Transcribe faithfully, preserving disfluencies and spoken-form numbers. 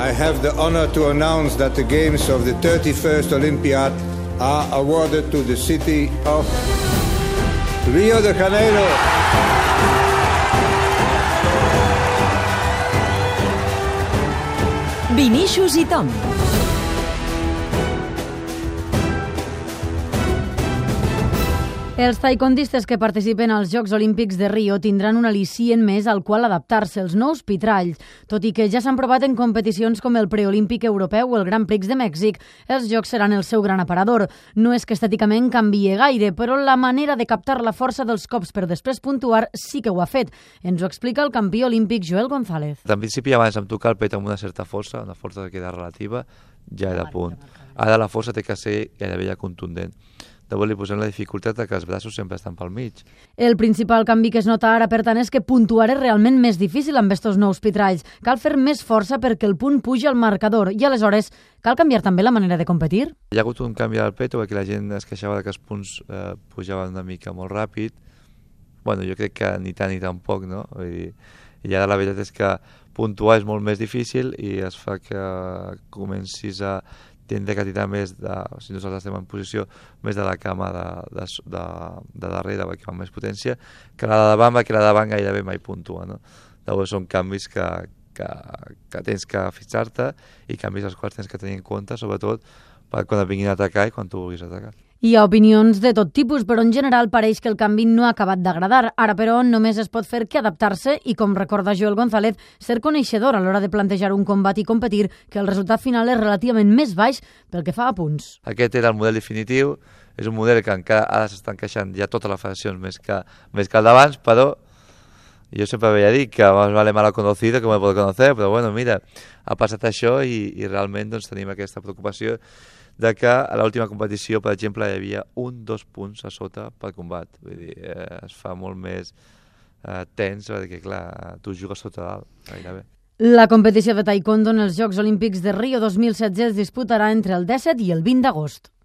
I have the honor to announce that the games of the thirty-first Olympiad are awarded to the city of Rio de Janeiro. Vinícius i Tom. Els taekwondistes que participen als Jocs Olímpics de Rio tindran un al·licient més al qual adaptar-se, els nous pitralls. Tot i que ja s'han provat en competicions com el preolímpic europeu o el Grand Prix de Mèxic, els jocs seran el seu gran aparador. No és que estèticament canvie gaire, però la manera de captar la força dels cops per després puntuar sí que ho ha fet. Ens ho explica el campió olímpic Joel González. En principi, abans em tocar el pet amb una certa força, una força que queda relativa, ja era a punt. Ara la força té que ser gairebé ja contundent. Llavors li posem la dificultat que els braços sempre estan pel mig. El principal canvi que es nota ara, per tant, és que puntuar és realment més difícil amb estos nous pitralls. Cal fer més força perquè el punt pugi al marcador i, aleshores, cal canviar també la manera de competir? Hi ha hagut un canvi al peto perquè la gent es queixava que els punts eh, pujaven una mica molt ràpid. Bueno, jo crec que ni tant ni tan poc, no? Vull dir, i ara la veritat és que puntuar és molt més difícil i es fa que comencis a tindre que tirar més, de, si nosaltres estem en posició, més de la cama de, de, de, de darrere, perquè amb més potència, que la de davant, perquè la de davant gairebé mai puntua, no? Llavors són canvis que, que, que tens que fixar-te i canvis els quals tens que tenir en compte, sobretot per quan et vinguin a atacar i quan tu vulguis atacar. Hi ha opinions de tot tipus, però en general pareix que el canvi no ha acabat d'agradar. Ara, però, només es pot fer que adaptar-se i, com recorda Joel González, ser coneixedor a l'hora de plantejar un combat i competir, que el resultat final és relativament més baix pel que fa a punts. Aquest era el model definitiu, és un model que encara ara s'estan queixant ja totes les federacions més que, més que el d'abans, però jo sempre havia dit que más vale mal conocido que me puedo conocer, però bueno, mira, ha passat això i, i realment doncs, tenim aquesta preocupació de que a l'última competició, per exemple, hi havia un, dos punts a sota per combat. Vull dir, eh, es fa molt més eh, tens, perquè, clar, tu jugues sota dalt, gairebé. La competició de taekwondo en els Jocs Olímpics de Rio dos mil setze es disputarà entre el disset i el vint d'agost.